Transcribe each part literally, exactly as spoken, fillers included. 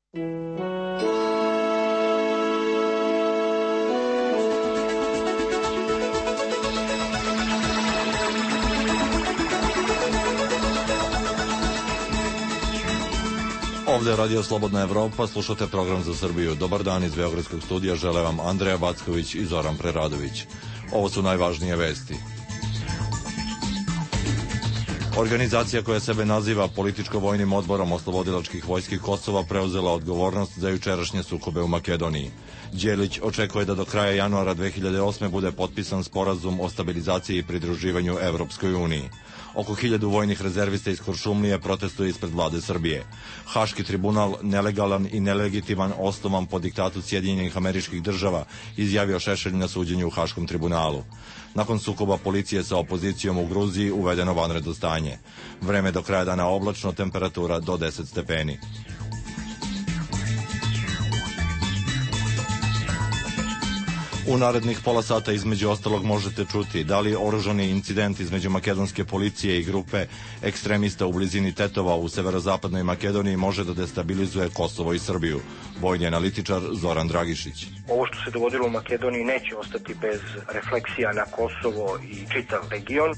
Ovde je Radio Slobodna Evropa, slušate program za Srbiju. Dobar dan iz Beogradskog studija, žele vam Andreja Backović i Zoran Preradović. Ovo su najvažnije vesti. Organizacija koja sebe naziva Političko-vojnim odborom oslobodilačkih vojski Kosova preuzela odgovornost za jučerašnje sukobe u Makedoniji. Đelić očekuje da do kraja januara dve hiljade osme bude potpisan sporazum o stabilizaciji i pridruživanju Evropskoj uniji. Oko hiljadu vojnih rezervista iz Kuršumlije protestuje ispred vlade Srbije. Haški tribunal, nelegalan i nelegitiman, osnovan po diktatu Sjedinjenih Američkih Država, izjavio Šešelj na suđenju u Haškom tribunalu. Nakon sukoba policije sa opozicijom u Gruziji uvedeno vanredno stanje. Vreme do kraja dana oblačno, temperatura do deset stepeni. U narednih pola sata između ostalog možete čuti da li oružani incident između makedonske policije i grupe ekstremista u blizini Tetova u severozapadnoj Makedoniji može da destabilizuje Kosovo i Srbiju. Vojni analitičar Zoran Dragišić. Ovo što se dogodilo u Makedoniji neće ostati bez refleksija na Kosovo i čitav region.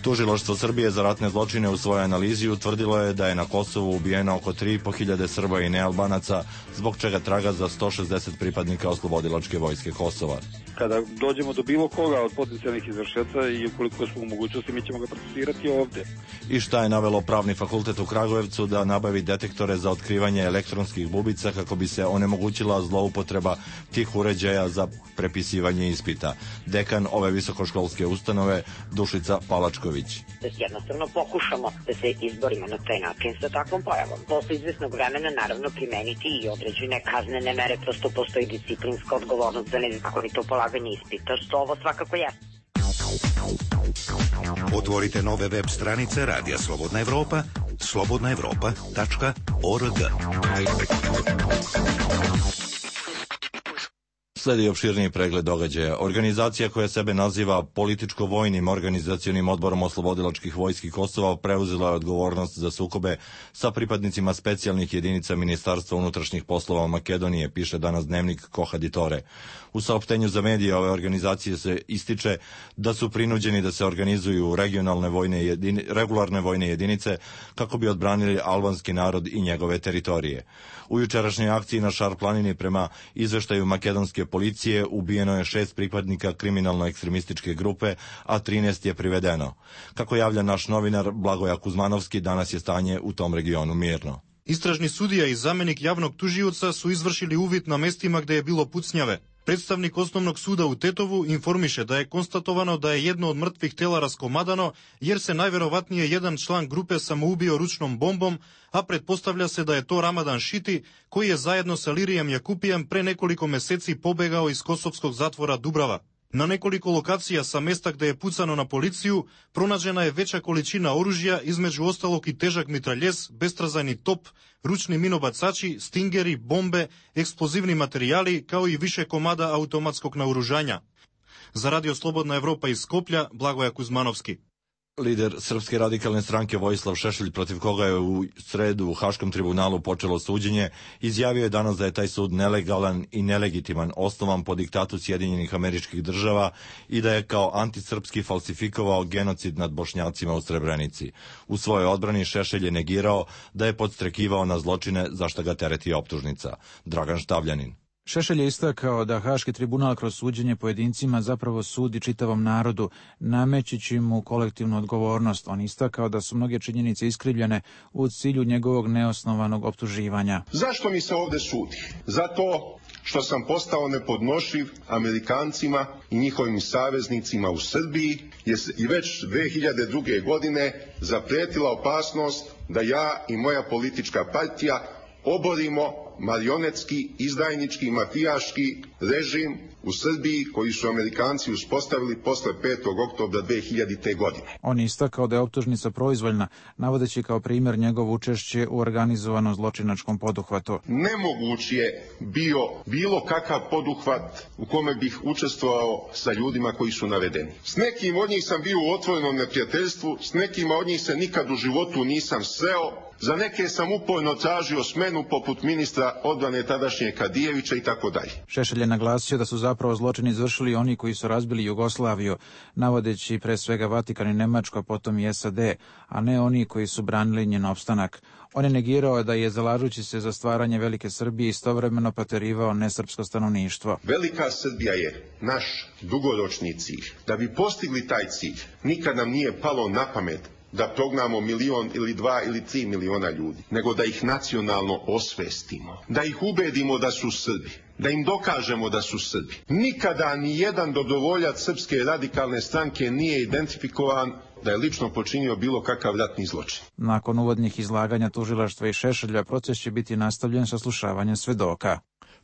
Tužilaštvo Srbije za ratne zločine u svojoj analizi utvrdilo je da je na Kosovu ubijeno oko tri i po hiljade Srba i nealbanaca, zbog čega traga za sto šezdeset pripadnika oslobodilačke vojske Kosova. Kada dođemo do bilo koga od potencijalnih izvršioca i ukoliko smo u mogućnosti, mi ćemo ga procesirati ovde. I šta je navelo Pravni fakultet u Kragujevcu da nabavi detektore za otkrivanje elektronskih bubica kako bi se onemogućila zloupotreba tih uređaja za prepisivanje ispita. Dekan ove visokoškolske ustanove Dušica Palačković. Da jednostavno pokušamo da se izborimo na taj način sa takvom pojavom. Posle izvesnog vremena naravno primeniti i određene kaznene mere, prosto postoji disciplinska odgovornost za nezakonito polaganje ispita, što ovo svakako je. Otvorite nove web stranice Radija Slobodna Evropa, slobodna evropa tačka org. Sledi opširniji pregled događaja. Organizacija koja sebe naziva Političko-vojnim organizacionim odborom oslobodilačkih vojski Kosova preuzela je odgovornost za sukobe sa pripadnicima specijalnih jedinica Ministarstva unutrašnjih poslova Makedonije, piše danas dnevnik Kohaditore. U saopštenju za medije ove organizacije se ističe da su prinuđeni da se organizuju regionalne vojne jedini, regularne vojne jedinice kako bi odbranili albanski narod i njegove teritorije. U jučerašnjoj akciji na Šar planini prema izveštaju makedonske policije ubijeno je šest pripadnika kriminalno-ekstremističke grupe, a trinaest je privedeno. Kako javlja naš novinar Blagoja Kuzmanovski, danas je stanje u tom regionu mirno. Istražni sudija i zamenik javnog tužioca su izvršili uvid na mestima gde je bilo pucnjave. Predstavnik osnovnog suda u Tetovu informiše da je konstatovano da je jedno od mrtvih tela raskomadano, jer se najverovatnije jedan član grupe samoubio ručnom bombom, a pretpostavlja se da je to Ramadan Šiti, koji je zajedno sa Lirijem Jakupijem pre nekoliko meseci pobegao iz kosovskog zatvora Dubrava. Na nekoliko lokacija sa mesta gde je pucano na policiju pronađena je veća količina oružja, između ostalog i težak mitraljez, bestrazajni top, ručni minobacači, stingeri, bombe, eksplozivni materijali, kao i više komada automatskog naoružanja. Za Radio Slobodna Evropa iz Skoplja, Blagoja Kuzmanovski. Lider Srpske radikalne stranke Vojislav Šešelj, protiv koga je u sredu u Haškom tribunalu počelo suđenje, izjavio je danas da je taj sud nelegalan i nelegitiman, osnovan po diktatu Sjedinjenih Američkih Država i da je kao antisrpski falsifikovao genocid nad Bošnjacima u Srebrenici. U svojoj odbrani Šešelj je negirao da je podstrekivao na zločine za šta ga tereti optužnica. Dragan Štavljanin. Šešelj je istakao da Haški tribunal kroz suđenje pojedincima zapravo sudi čitavom narodu, namećući mu kolektivnu odgovornost. On istakao da su mnoge činjenice iskrivljene u cilju njegovog neosnovanog optuživanja. Zašto mi se ovde sudi? Zato što sam postao nepodnošljiv Amerikancima i njihovim saveznicima u Srbiji, jer i već dve hiljade druge. godine zapretila opasnost da ja i moja politička partija oborimo marionetski, izdajnički, mafijaški režim u Srbiji koji su Amerikanci uspostavili posle petog oktobra dve hiljadite. godine. On je istakao da je optužnica proizvoljna, navodeći kao primjer njegovo učešće u organizovanom zločinačkom poduhvatu. Nemoguć je bio bilo kakav poduhvat u kome bih učestvovao sa ljudima koji su navedeni. S nekim od njih sam bio u otvorenom neprijateljstvu, s nekima od njih se nikad u životu nisam sreo, za neke sam uporno tražio smenu poput ministra odbrane tadašnje Kadijevića i tako dalje. Šešelj je naglasio da su zapravo zločin izvršili oni koji su razbili Jugoslaviju, navodeći pre svega Vatikan i Nemačko, potom i S A D, a ne oni koji su branili njen opstanak. On je negirao da je, zalažući se za stvaranje Velike Srbije, istovremeno proterivao nesrpsko stanovništvo. Velika Srbija je naš dugoročni cilj. Da bi postigli taj cilj, nikad nam nije palo na pamet da prognamo milion ili dva ili tri miliona ljudi, nego da ih nacionalno osvestimo, da ih ubedimo da su Srbi, da im dokažemo da su Srbi. Nikada ni jedan dobrovoljac Srpske radikalne stranke nije identifikovan da je lično počinio bilo kakav ratni zločin. Nakon uvodnih izlaganja tužilaštva i Šešelja, proces će biti nastavljen sa slušavanjem svedoka.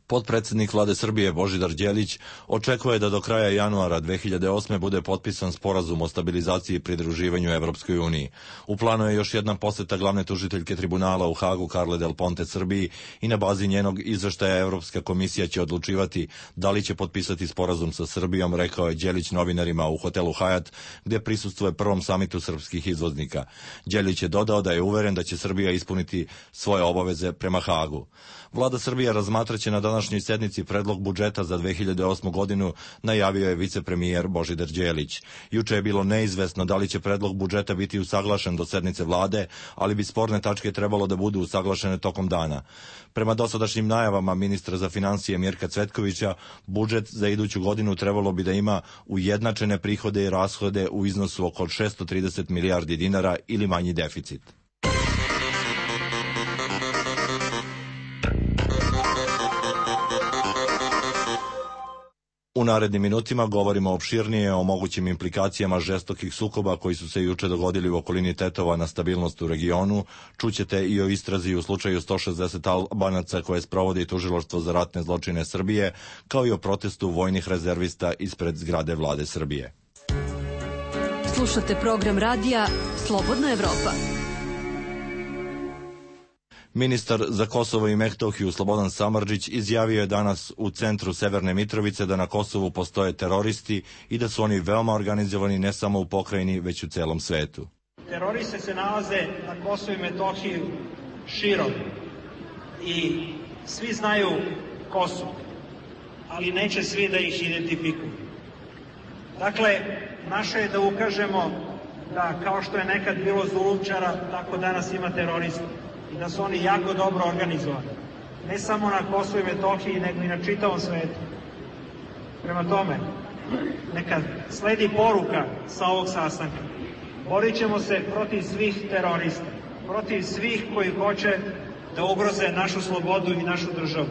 Potpredsednik Vlade Srbije Božidar Đelić očekuje da do kraja januara dve hiljade osme. bude potpisan sporazum o stabilizaciji i pridruživanju Evropskoj uniji. U planu je još jedna poseta glavne tužiteljke tribunala u Hagu Carle Del Ponte Srbiji i na bazi njenog izveštaja Evropska komisija će odlučivati da li će potpisati sporazum sa Srbijom, rekao je Đelić novinarima u hotelu Hajat, gde prisustvuje prvom samitu srpskih izvoznika. Đelić je dodao da je uveren da će Srbija ispuniti svoje obaveze prema Hagu. Vlada Srbije razmatraće na današnjoj sednici predlog budžeta za dve hiljade osmu. godinu, najavio je vicepremijer Božidar Đelić. Juče je bilo neizvesno da li će predlog budžeta biti usaglašen do sednice vlade, ali bi sporne tačke trebalo da budu usaglašene tokom dana. Prema dosadašnjim najavama ministra za finansije Mirka Cvetkovića, budžet za iduću godinu trebalo bi da ima ujednačene prihode i rashode u iznosu oko šesto trideset milijardi dinara ili manji deficit. U narednim minutima govorimo opširnije o mogućim implikacijama žestokih sukoba koji su se juče dogodili u okolini Tetova na stabilnost u regionu. Čućete i o istrazi u slučaju sto šezdeset Albanaca koje sprovodi Tužilaštvo za ratne zločine Srbije, kao i o protestu vojnih rezervista ispred zgrade Vlade Srbije. Slušate program radija Slobodna Evropa. Ministar za Kosovo i Metohiju Slobodan Samardžić izjavio je danas u centru Severne Mitrovice da na Kosovu postoje teroristi i da su oni veoma organizovani ne samo u pokrajini, već u celom svetu. Teroristi se nalaze na Kosovu i Metohiji širom i svi znaju ko su, ali neće svi da ih identifikuju. Dakle, naše je da ukažemo da kao što je nekad bilo zulumčara, tako danas ima terorista. I da su oni jako dobro organizovani. Ne samo na Kosovu i Metohiji, nego i na čitavom svetu. Prema tome, neka sledi poruka sa ovog sastanka. Borit ćemo se protiv svih terorista, protiv svih koji hoće da ugroze našu slobodu i našu državu.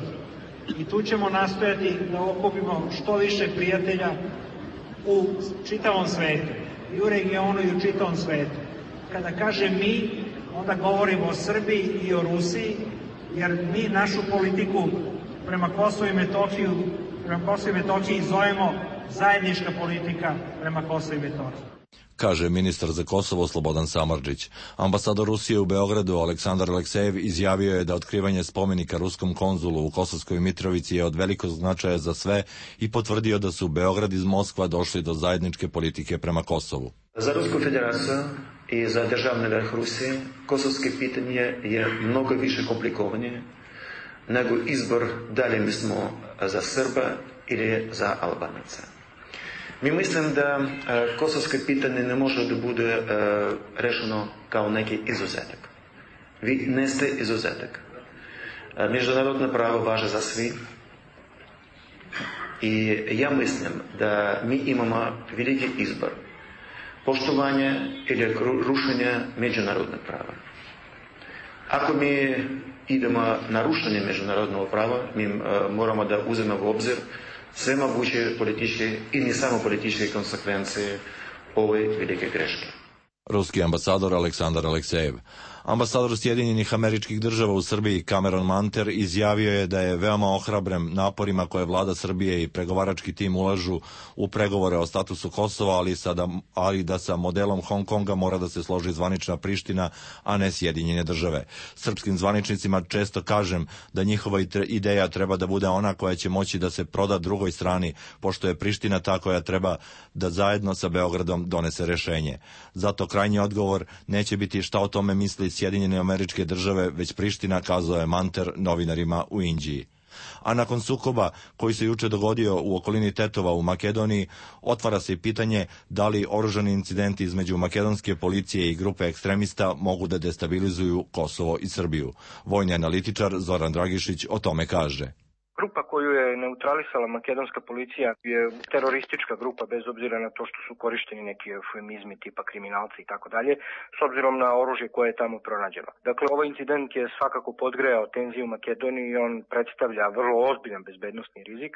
I tu ćemo nastojati da okupimo što više prijatelja u čitavom svetu, i u regionu i u čitavom svetu. Kada kažem mi, onda govorimo o Srbiji i o Rusiji, jer mi našu politiku prema Kosovu i Metohiju, prema Kosovu i Metohiji zovemo zajednička politika prema Kosovu i Metohiji. Kaže ministar za Kosovo Slobodan Samardžić. Ambasador Rusije u Beogradu Aleksandar Aleksejev izjavio je da otkrivanje spomenika ruskom konzulu u Kosovskoj Mitrovici je od velikog značaja za sve i potvrdio da su Beograd iz Moskva došli do zajedničke politike prema Kosovu. Za Rusku federaciju i za državni vrh Rusije kosovske pitanje je mnogo više komplikovanje nego izbor da li mi smo za Srba ili za Albanaca. Mi mislim da kosovske pitanje ne može da bude rešeno kao neki izuzetak. Vi ne ste izuzetak. Međunarodno pravo važe za svi i ja mislim da mi imamo veliki izbor. Poštovanje ili rušenje međunarodnog prava. Ako mi idemo na rušenje međunarodnog prava, mi moramo da uzmemo u obzir sve moguće političke i ne samo političke konsekvencije ove velike greške. Ruski ambasador Aleksandar Aleksejev. Ambasador Sjedinjenih Američkih Država u Srbiji Cameron Manter izjavio je da je veoma ohrabren naporima koje vlada Srbije i pregovarački tim ulažu u pregovore o statusu Kosova, ali, sada, ali da sa modelom Hong Konga mora da se složi zvanična Priština, a ne Sjedinjene Države. Srpskim zvaničnicima često kažem da njihova ideja treba da bude ona koja će moći da se proda drugoj strani, pošto je Priština ta koja treba da zajedno sa Beogradom donese rešenje. Zato krajnji odgovor neće biti šta o tome misli Sjedinjene Američke Države, već Priština, kazao je Manter novinarima u Inđiji. A nakon sukoba koji se juče dogodio u okolini Tetova u Makedoniji, otvara se i pitanje da li oružani incidenti između makedonske policije i grupe ekstremista mogu da destabilizuju Kosovo i Srbiju. Vojni analitičar Zoran Dragišić o tome kaže. Grupa koju je neutralisala makedonska policija je teroristička grupa, bez obzira na to što su korišteni neki eufemizmi tipa kriminalci i tako dalje, s obzirom na oružje koje je tamo pronađeno. Dakle, ovaj incident je svakako podgrejao tenziju u Makedoniji i on predstavlja vrlo ozbiljan bezbednosni rizik.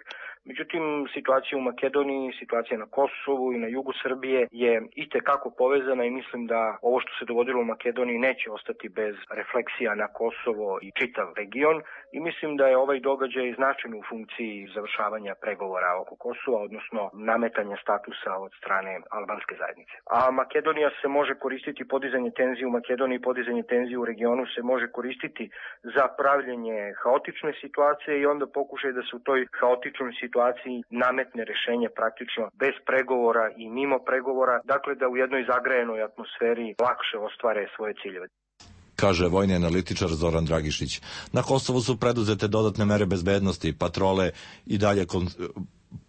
Međutim, situacija u Makedoniji, situacija na Kosovu i na jugu Srbije je itekako povezana i mislim da ovo što se dogodilo u Makedoniji neće ostati bez refleksija na Kosovo i čitav region i mislim da je ovaj događaj značajan u funkciji završavanja pregovora oko Kosova, odnosno nametanja statusa od strane albanske zajednice. A Makedonija se može koristiti, podizanje tenzije u Makedoniji, podizanje tenzije u regionu se može koristiti za pravljenje haotične situacije i onda pokušaj da se u toj haotičnoj situaciji nametne rešenje praktično bez pregovora i mimo pregovora, dakle da u jednoj zagrajenoj atmosferi lakše ostvare svoje ciljeve, kaže vojni analitičar Zoran Dragišić. Na Kosovu su preduzete dodatne mere bezbednosti, patrole i dalje kon,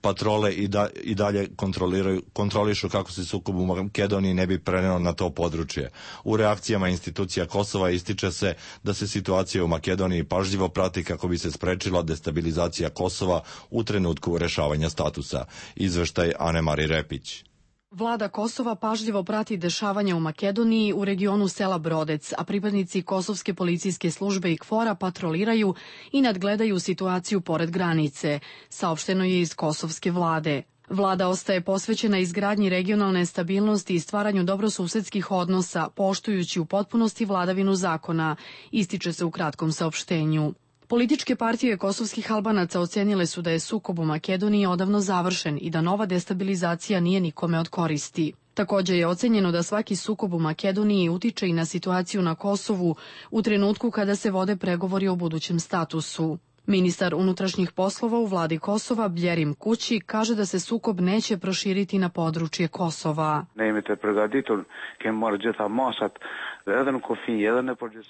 patrole i, da, i dalje kontroliraju, kontrolišu kako se sukob u Makedoniji ne bi preneo na to područje. U reakcijama institucija Kosova ističe se da se situacija u Makedoniji pažljivo prati kako bi se sprečila destabilizacija Kosova u trenutku rešavanja statusa. Izveštaj Anemari Repić. Vlada Kosova pažljivo prati dešavanja u Makedoniji u regionu sela Brodec, a pripadnici Kosovske policijske službe i KFOR-a patroliraju i nadgledaju situaciju pored granice, saopšteno je iz kosovske vlade. Vlada ostaje posvećena izgradnji regionalne stabilnosti i stvaranju dobrosusedskih odnosa, poštujući u potpunosti vladavinu zakona, ističe se u kratkom saopštenju. Političke partije kosovskih Albanaca ocenile su da je sukob u Makedoniji odavno završen i da nova destabilizacija nije nikome od koristi. Takođe je ocenjeno da svaki sukob u Makedoniji utiče i na situaciju na Kosovu u trenutku kada se vode pregovori o budućem statusu. Ministar unutrašnjih poslova u vladi Kosova, Bljerim Kući, kaže da se sukob neće proširiti na područje Kosova.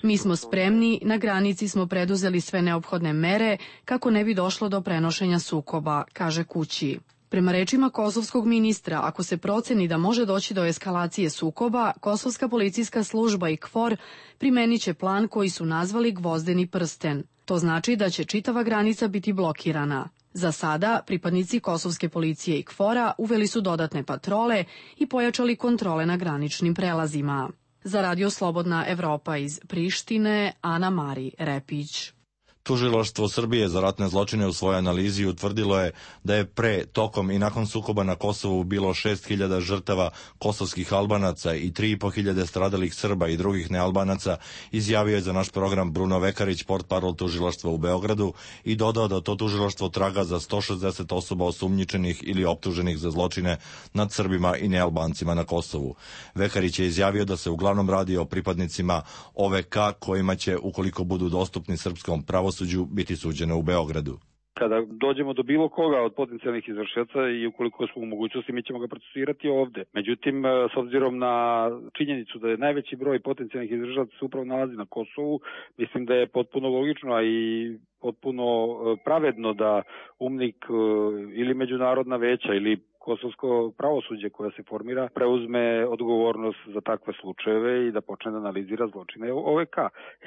Mi smo spremni, na granici smo preduzeli sve neophodne mere kako ne bi došlo do prenošenja sukoba, kaže Kući. Prema rečima kosovskog ministra, ako se proceni da može doći do eskalacije sukoba, Kosovska policijska služba i KFOR primenit će plan koji su nazvali Gvozdeni prsten. To znači da će čitava granica biti blokirana. Za sada, pripadnici Kosovske policije i KFOR-a uveli su dodatne patrole i pojačali kontrole na graničnim prelazima. Za Radio Slobodna Evropa iz Prištine, Ana Mari Repić. Tužilaštvo Srbije za ratne zločine u svojoj analizi utvrdilo je da je pre, tokom i nakon sukoba na Kosovu bilo šest hiljada žrtava kosovskih Albanaca i tri i po hiljade stradalih Srba i drugih nealbanaca, izjavio je za naš program Bruno Vekarić, portparol tužilaštva u Beogradu, i dodao da to tužilaštvo traga za sto šezdeset osoba osumnjičenih ili optuženih za zločine nad Srbima i nealbancima na Kosovu. Vekarić je izjavio da se uglavnom radi o pripadnicima O V K kojima će, ukoliko budu dostupni srpskom pravosuđu, biti suđene u Beogradu. Kada dođemo do bilo koga od potencijalnih izvršioca i ukoliko smo u mogućnosti, mi ćemo ga procesirati ovde. Međutim, s obzirom na činjenicu da je najveći broj potencijalnih izvršioca se upravo nalazi na Kosovu, mislim da je potpuno logično, a i potpuno pravedno da UMNIK ili međunarodna veća ili kosovsko pravosuđe koja se formira preuzme odgovornost za takve slučajeve i da počne da analizira zločine O V K.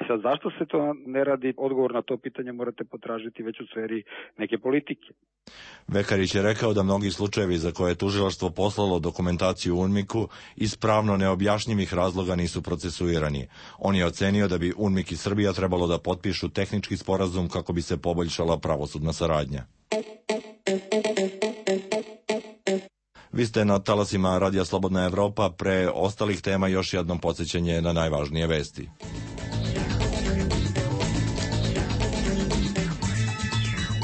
I sad, zašto se to ne radi? Odgovor na to pitanje morate potražiti već u sferi neke politike. Vekarić je rekao da mnogi slučajevi za koje je tužilaštvo poslalo dokumentaciju UNMIK-u iz pravno neobjašnjivih razloga nisu procesuirani. On je ocenio da bi UNMIK i Srbija trebalo da potpišu tehnički sporazum kako bi se poboljšala pravosudna saradnja. Vi ste na talasima Radija Slobodna Evropa. Pre ostalih tema još jednom podsjećanje na najvažnije vesti.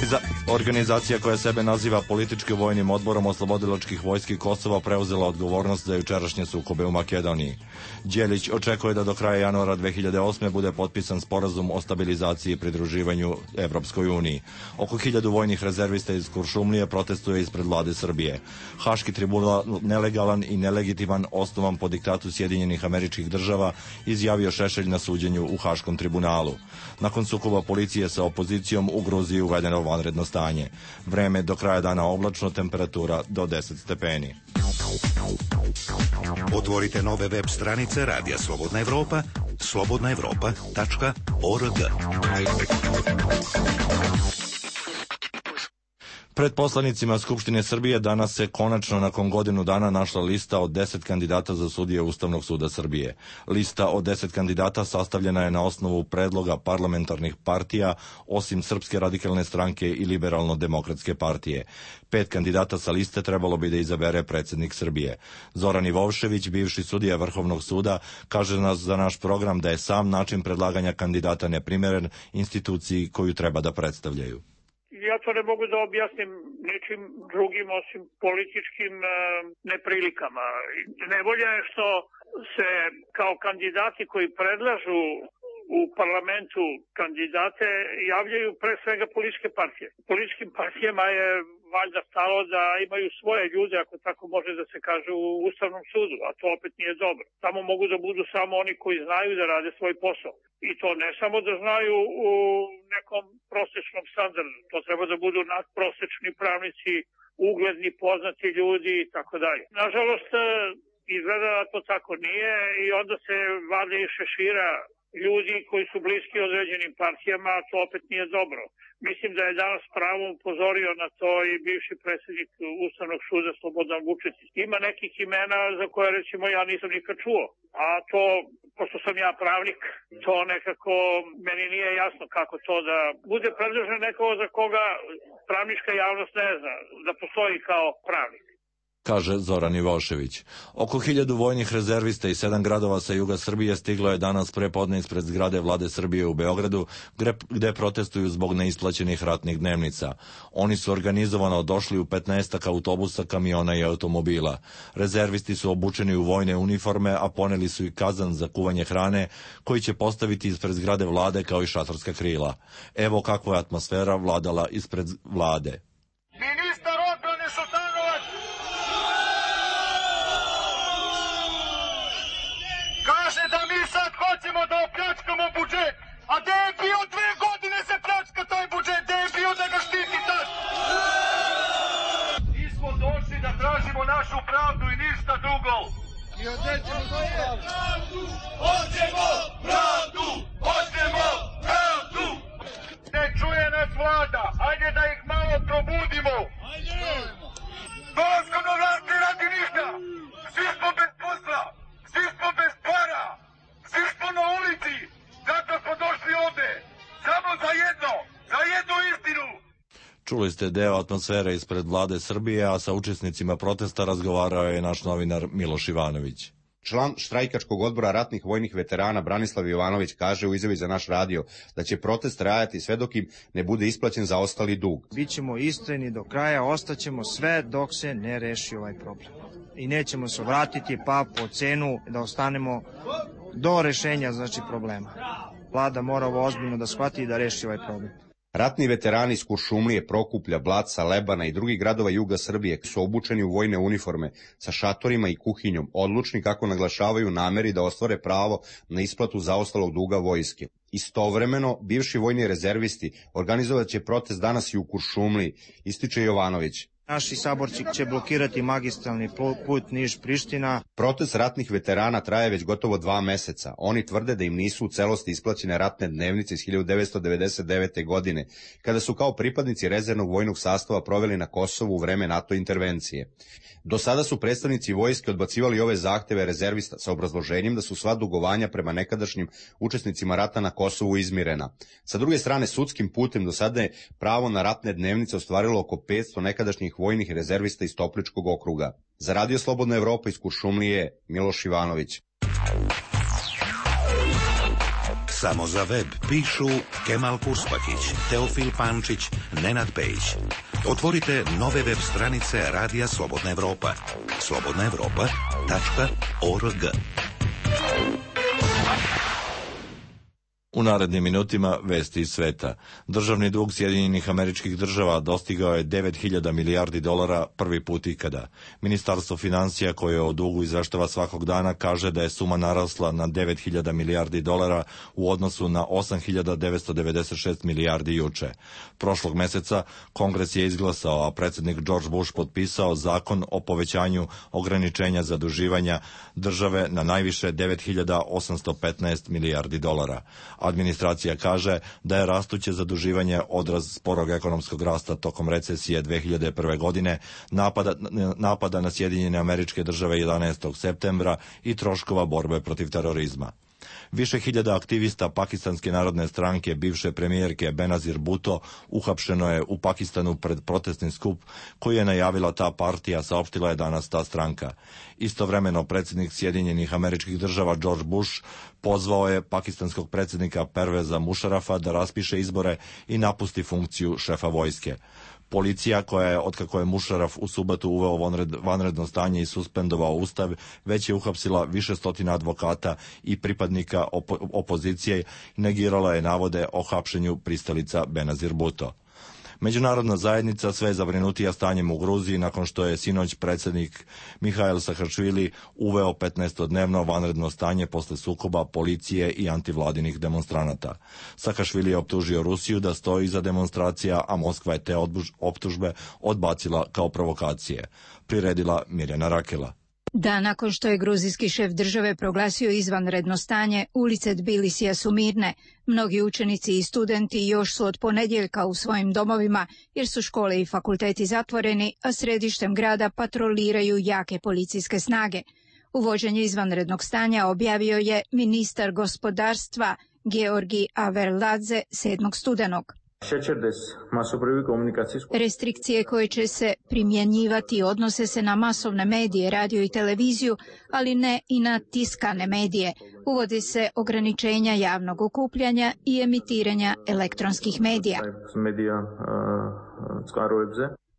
Organiza- organizacija koja sebe naziva politički vojnim odborom oslobodilačkih vojski Kosova preuzela odgovornost za jučerašnje sukobe u Makedoniji. Đelić očekuje da do kraja januara dve hiljade osme bude potpisan sporazum o stabilizaciji i pridruživanju Evropskoj uniji. Oko hiljadu vojnih rezervista iz Kuršumlije protestuje ispred vlade Srbije. Haški tribunal nelegalan i nelegitiman, osnovan po diktatu Sjedinjenih Američkih Država, izjavio Šešelj na suđenju u Haškom tribunalu. Nakon sukoba policije sa opozicijom u Gruziji uvedeno vanredno stanje. Vreme do kraja dana oblačno, temperatura do deset stepeni. Otvorite nove web stranice Radija Slobodna Evropa, slobodna evropa tačka org. Pred poslanicima Skupštine Srbije danas se konačno nakon godinu dana našla lista od deset kandidata za sudije Ustavnog suda Srbije. Lista od deset kandidata sastavljena je na osnovu predloga parlamentarnih partija, osim Srpske radikalne stranke i Liberalno-demokratske partije. Pet kandidata sa liste trebalo bi da izabere predsjednik Srbije. Zoran Ivovšević, bivši sudija Vrhovnog suda, kaže nas za naš program da je sam način predlaganja kandidata neprimeren instituciji koju treba da predstavljaju. Ja to ne mogu da objasnim ničim drugim osim političkim e, neprilikama. Nevolja je što se kao kandidati koji predlažu u parlamentu kandidate javljaju pre svega političke partije. Političkim partijama je valjda stalo da imaju svoje ljude, ako tako može da se kaže, u Ustavnom sudu, a to opet nije dobro. Tamo mogu da budu samo oni koji znaju da rade svoj posao. I to ne samo da znaju u nekom prosečnom standardu, to treba da budu nadprosečni pravnici, ugledni, poznati ljudi i tako dalje. Nažalost, izgleda da to tako nije i onda se vade iz šešira ljudi koji su bliski određenim partijama, a to opet nije dobro. Mislim da je danas pravom upozorio na to i bivši predsjednik Ustavnog suda Slobodan Vučetić. Ima nekih imena za koje recimo ja nisam nikad čuo, a to, pošto sam ja pravnik, to nekako meni nije jasno kako to da bude predložen nekoga za koga pravnička javnost ne zna da postoji kao pravnik, kaže Zoran Ivošević. Oko hiljadu vojnih rezervista i sedam gradova sa juga Srbije stiglo je danas prepodne ispred zgrade vlade Srbije u Beogradu, gde protestuju zbog neisplaćenih ratnih dnevnica. Oni su organizovano došli u petnaestak autobusa, kamiona i automobila. Rezervisti su obučeni u vojne uniforme, a poneli su i kazan za kuvanje hrane, koji će postaviti ispred zgrade vlade kao i šatorska krila. Evo kakva je atmosfera vladala ispred vlade. Ministar odbrane Šutanovac kaže da mi sad hoćemo da opljačkamo budžet, a gde je bio dve godine se pljačka taj budžet, gde je bio da ga štiti tad? Mi smo došli da tražimo našu pravdu i ništa drugo. I odrećemo pravdu, hoćemo pravdu, hoćemo pravdu. Ne čuje nas vlada, hajde da ih malo probudimo. Hajde! Dolaskom do vlasti radi ništa, svi smo bez posla. Svi smo bez para, svi smo na ulici, zato smo došli ovde, samo za jedno, za jednu istinu. Čuli ste deo atmosfere ispred vlade Srbije, a sa učesnicima protesta razgovarao je naš novinar Miloš Ivanović. Član štrajkačkog odbora ratnih vojnih veterana Branislav Jovanović kaže u izjavi za naš radio da će protest trajati sve dok im ne bude isplaćen zaostali dug. Bićemo istrajni do kraja, ostaćemo sve dok se ne reši ovaj problem. I nećemo se vratiti pa po cenu da ostanemo do rešenja znači problema. Vlada mora ovo ozbiljno da shvati i da reši ovaj problem. Ratni veterani iz Kuršumlije, Prokuplja, Blaca, Lebana i drugih gradova juga Srbije su obučeni u vojne uniforme sa šatorima i kuhinjom, odlučni kako naglašavaju nameri da ostvare pravo na isplatu zaostalog duga vojske. Istovremeno, bivši vojni rezervisti organizovat će protest danas i u Kuršumliji, ističe Jovanović. Naši saborci će blokirati magistralni put Niš-Priština. Protest ratnih veterana traje već gotovo dva meseca. Oni tvrde da im nisu u celosti isplaćene ratne dnevnice iz hiljadu devetsto devedeset devete. godine, kada su kao pripadnici rezervnog vojnog sastava proveli na Kosovu u vreme NATO intervencije. Do sada su predstavnici vojske odbacivali ove zahteve rezervista sa obrazloženjem da su sva dugovanja prema nekadašnjim učesnicima rata na Kosovu izmirena. Sa druge strane, sudskim putem do sada je pravo na ratne dnevnice ostvarilo oko petsto nekadašnjih vojnih rezervista iz Topličkog okruga. Za Radio Slobodna Evropa iz Kuršumlije, Miloš Ivanović. Samo za web pišu Kemal Purspahić, Teofil Pančić, Nenad Pejić. Otvorite nove web stranice Radija Slobodna Evropa. slobodna evropa tačka org. U narednim minutima vesti iz sveta. Državni dug Sjedinjenih Američkih Država dostigao je devet hiljada milijardi dolara prvi put ikada. Ministarstvo financija, koje o dugu izveštava svakog dana, kaže da je suma narasla na devet hiljada milijardi dolara u odnosu na osam hiljada devetsto devedeset šest milijardi juče. Prošlog meseca Kongres je izglasao, a predsjednik George Bush potpisao zakon o povećanju ograničenja zaduživanja države na najviše devet hiljada osamsto petnaest milijardi dolara. Administracija kaže da je rastuće zaduživanje odraz sporog ekonomskog rasta tokom recesije dve hiljade prve. godine, napada, napada na Sjedinjene Američke Države jedanaestog septembra i troškova borbe protiv terorizma. Više hiljada aktivista Pakistanske narodne stranke bivše premijerke Benazir Bhutto uhapšeno je u Pakistanu pred protestni skup koji je najavila ta partija, saopštila je danas ta stranka. Istovremeno predsjednik Sjedinjenih Američkih Država George Bush pozvao je pakistanskog predsjednika Perveza Mušarafa da raspiše izbore i napusti funkciju šefa vojske. Policija, koja je, otkako je Mušaraf u subotu uveo vanred, vanredno stanje i suspendovao ustav, već je uhapsila više stotina advokata i pripadnika opo, opozicije i negirala je navode o hapšenju pristalica Benazir Bhutto. Međunarodna zajednica sve je zabrinutija stanjem u Gruziji nakon što je sinoć predsjednik Mihail Saakašvili uveo petnaestodnevno vanredno stanje posle sukoba policije i antivladinih demonstranata. Saakašvili je optužio Rusiju da stoji iza demonstracija, a Moskva je te optužbe odbacila kao provokacije. Priredila Mirjana Rakela. Da, nakon što je gruzijski šef države proglasio izvanredno stanje, ulice Tbilisija su mirne. Mnogi učenici i studenti još su od ponedjeljka u svojim domovima jer su škole i fakulteti zatvoreni, a središtem grada patroliraju jake policijske snage. Uvođenje izvanrednog stanja objavio je ministar gospodarstva Georgi Averladze sedmog studenog. Restrikcije koje će se primjenjivati odnose se na masovne medije, radio i televiziju, ali ne i na tiskane medije. Uvodi se ograničenja javnog okupljanja i emitiranja elektronskih medija.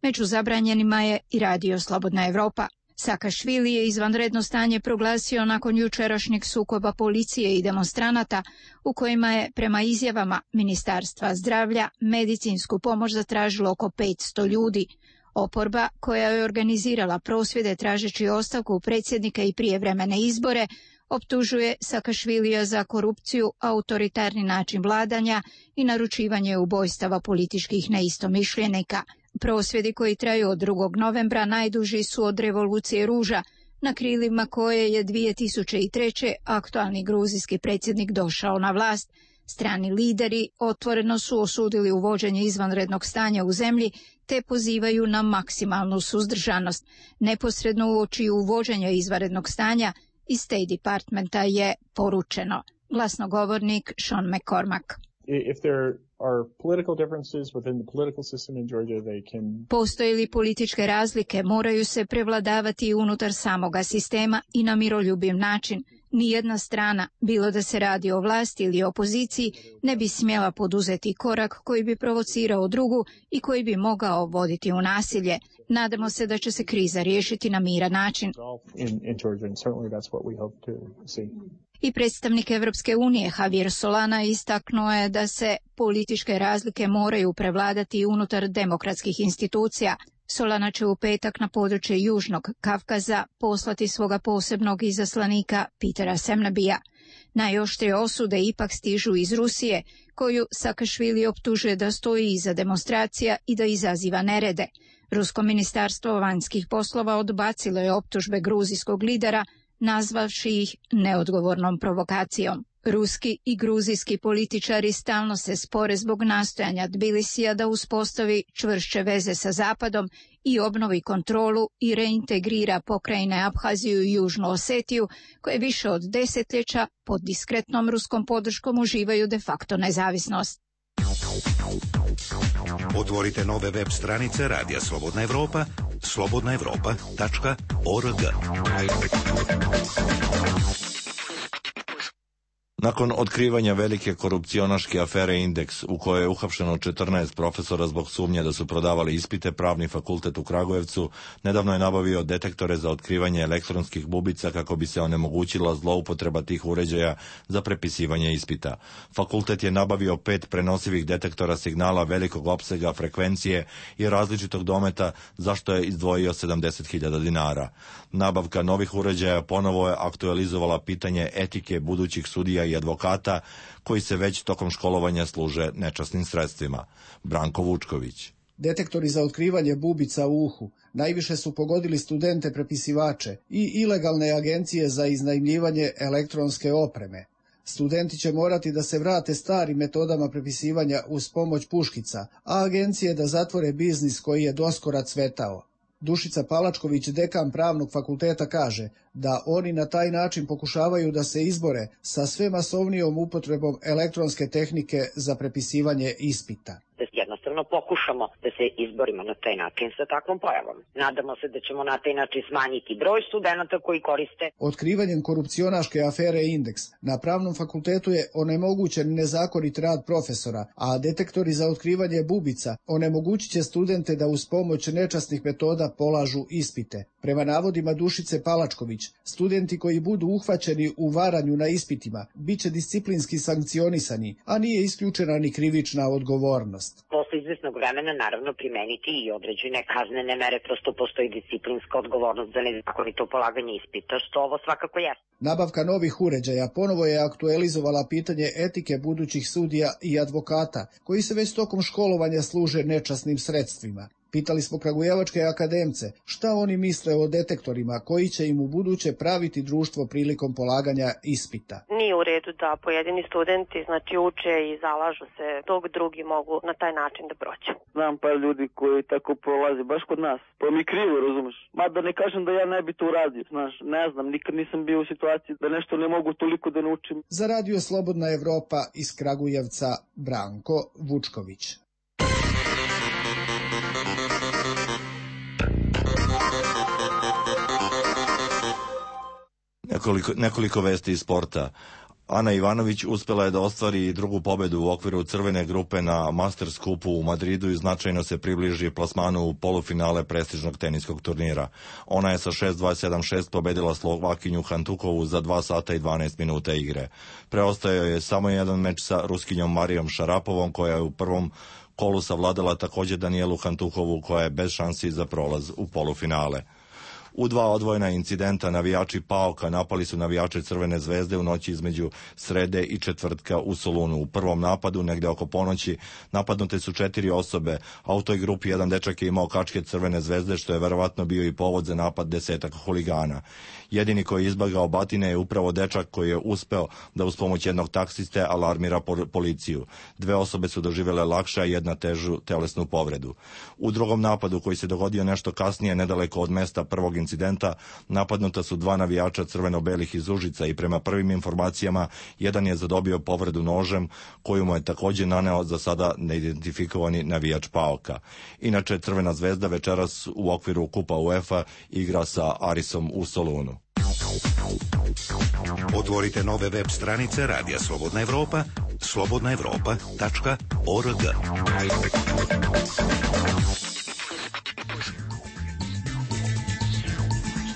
Među zabranjenima je i radio Slobodna Evropa. Saakašvili je izvanredno stanje proglasio nakon jučerašnjeg sukoba policije i demonstranata u kojima je, prema izjavama Ministarstva zdravlja, medicinsku pomoć zatražilo oko petsto ljudi. Oporba, koja je organizirala prosvjede tražeći ostavku predsjednika i prijevremene izbore, optužuje Saakašvilija za korupciju, autoritarni način vladanja i naručivanje ubojstava političkih neistomišljenika. Prosvjedi koji traju od drugog novembra najduži su od revolucije ruža, na krilima koje je dvije tisuće treće. aktualni gruzijski predsjednik došao na vlast. Strani lideri otvoreno su osudili uvođenje izvanrednog stanja u zemlji te pozivaju na maksimalnu suzdržanost. Neposredno uoči uvođenja izvanrednog stanja iz State Departmenta je poručeno. Glasnogovornik Sean McCormack. If there are political differences within the political system in Georgia, they can... Postoje li političke razlike, moraju se prevladavati unutar samoga sistema i na miroljubiv način. Nijedna strana, bilo da se radi o vlasti ili opoziciji, ne bi smjela poduzeti korak koji bi provocirao drugu i koji bi mogao voditi u nasilje. Nadamo se da će se kriza riješiti na miran način. In, in Georgia, and certainly that's what we hope to see. I predstavnik Evropske unije Javier Solana istaknuo je da se političke razlike moraju prevladati unutar demokratskih institucija. Solana će u petak na područje Južnog Kavkaza poslati svoga posebnog izaslanika Petera Semnebija. Najoštrije osude ipak stižu iz Rusije, koju Saakašvili optužuje da stoji iza demonstracija i da izaziva nerede. Rusko ministarstvo vanjskih poslova odbacilo je optužbe gruzijskog lidera, nazvavši ih neodgovornom provokacijom. Ruski i gruzijski političari stalno se spore zbog nastojanja Tbilisija da uspostavi čvršće veze sa Zapadom i obnovi kontrolu i reintegrira pokrajine Abhaziju i Južnu Osetiju, koje više od desetljeća pod diskretnom ruskom podrškom uživaju de facto nezavisnost. Otvorite nove web stranice Radija Slobodna Evropa, slobodna evropa tačka org. Nakon otkrivanja velike korupcionaške afere Indeks, u kojoj je uhapšeno četrnaest profesora zbog sumnje da su prodavali ispite, Pravni fakultet u Kragujevcu nedavno je nabavio detektore za otkrivanje elektronskih bubica kako bi se onemogućila zloupotreba tih uređaja za prepisivanje ispita. Fakultet je nabavio pet prenosivih detektora signala velikog opsega, frekvencije i različitog dometa, za što je izdvojio sedamdeset hiljada dinara. Nabavka novih uređaja ponovo je aktualizovala pitanje etike budućih sudija i advokata koji se već tokom školovanja služe nečasnim sredstvima. Branko Vučković. Detektori za otkrivanje bubica u uhu najviše su pogodili studente prepisivače i ilegalne agencije za iznajmljivanje elektronske opreme. Studenti će morati da se vrate starim metodama prepisivanja uz pomoć puškica, a agencije da zatvore biznis koji je doskora cvetao. Dušica Palačković, dekan Pravnog fakulteta, kaže da oni na taj način pokušavaju da se izbore sa sve masovnijom upotrebom elektronske tehnike za prepisivanje ispita. Jednostavno pokušamo da se izborimo na taj način sa takvom pojavom. Nadamo se da ćemo na taj način smanjiti broj studenta koji koriste. Otkrivanjem korupcionaške afere Indeks na Pravnom fakultetu je onemogućen nezakonit rad profesora, a detektori za otkrivanje bubica onemogućit će studente da uz pomoć nečasnih metoda polažu ispite. Prema navodima Dušice Palačković, studenti koji budu uhvaćeni u varanju na ispitima bit će disciplinski sankcionisani, a nije isključena ni krivična odgovornost. Posle izvesnog vremena naravno primeniti i određene kaznene mere, prosto postoji disciplinska odgovornost za nezakonito polaganje ispita, što ovo svakako jeste. Nabavka novih uređaja ponovo je aktualizovala pitanje etike budućih sudija i advokata, koji se već tokom školovanja služe nečasnim sredstvima. Pitali smo kragujevačke akademce šta oni misle o detektorima koji će im u buduće praviti društvo prilikom polaganja ispita. Nije u redu da pojedini studenti znači uče i zalažu se dok drugi mogu na taj način da prođu. Znam par ljudi koji tako prolaze baš kod nas. Pa mi krivo, razumeš? Mada ne kažem da ja ne bi to uradio, znaš, ne znam, nikad nisam bio u situaciji da nešto ne mogu toliko da naučim. Za Radio Slobodna Evropa iz Kragujevca, Branko Vučković. Nekoliko, nekoliko vesti iz sporta. Ana Ivanović uspela je da ostvari drugu pobedu u okviru crvene grupe na Masters kupu u Madridu i značajno se približi plasmanu u polufinale prestižnog teniskog turnira. Ona je sa šest dva sedam šest pobedila Slovakinju Hantukovu za dva sata i dvanaest minuta igre. Preostao je samo jedan meč sa Ruskinjom Marijom Šarapovom, koja je u prvom kolu savladala također Danijelu Hantukovu, koja je bez šansi za prolaz u polufinale. U dva odvojena incidenta navijači Paoka napali su navijače Crvene zvezde u noći između srede i četvrtka u Solunu. U prvom napadu, negde oko ponoći, napadnute su četiri osobe, a u toj grupi jedan dečak je imao kačke Crvene zvezde, što je verovatno bio i povod za napad desetak huligana. Jedini koji je izbagao batine je upravo dečak koji je uspeo da uz pomoć jednog taksiste alarmira policiju. Dve osobe su doživjele lakše, a jedna težu telesnu povredu. U drugom napadu, koji se dogodio nešto kasnije nedaleko od mesta prvog incidenta, napadnuta su dva navijača crveno-belih iz Užica i prema prvim informacijama jedan je zadobio povredu nožem koju mu je također naneo za sada neidentifikovani navijač Paoka. Inače, Crvena zvezda večeras u okviru Kupa UEFA igra sa Arisom u Solunu. Otvorite nove web stranice Radija Slobodna Evropa, slobodna evropa tačka org.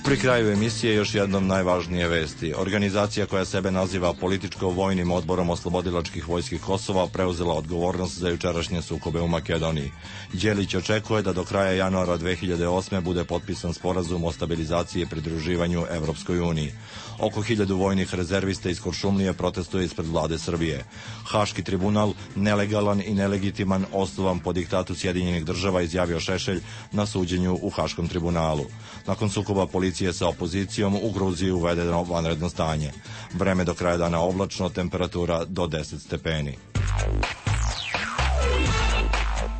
Pri kraju emisije još jednom najvažnije vesti. Organizacija koja sebe naziva Političko-vojnim odborom oslobodilačkih vojski Kosova preuzela odgovornost za jučerašnje sukobe u Makedoniji. Đelić očekuje da do kraja januara dve hiljade osme. bude potpisan sporazum o stabilizaciji i pridruživanju Evropskoj uniji. Oko hiljadu vojnih rezervista iz Kuršumlije protestuje ispred vlade Srbije. Haški tribunal, nelegalan i nelegitiman, osnovan po diktatu Sjedinjenih država, izjavio Šešelj na suđenju u Haškom tribunalu. Nakon sukoba policije sa opozicijom u Gruziji uvedeno vanredno stanje. Vreme do kraja dana oblačno, temperatura do deset stepeni.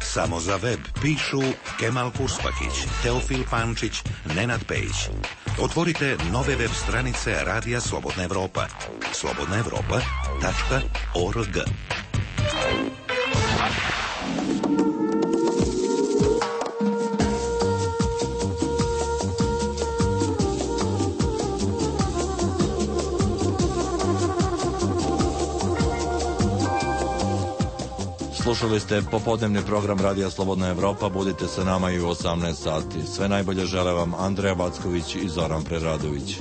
Samo za web pišu Kemal Kurspakić, Teofil Pančić, Nenad Pejić. Otvorite nove web stranice Radija Slobodna Evropa. slobodna evropa tačka org. Slušali ste popodnevni program Radija Slobodna Evropa. Budite sa nama i u osamnaest sati. Sve najbolje žele vam Andreja Backović i Zoran Preradović.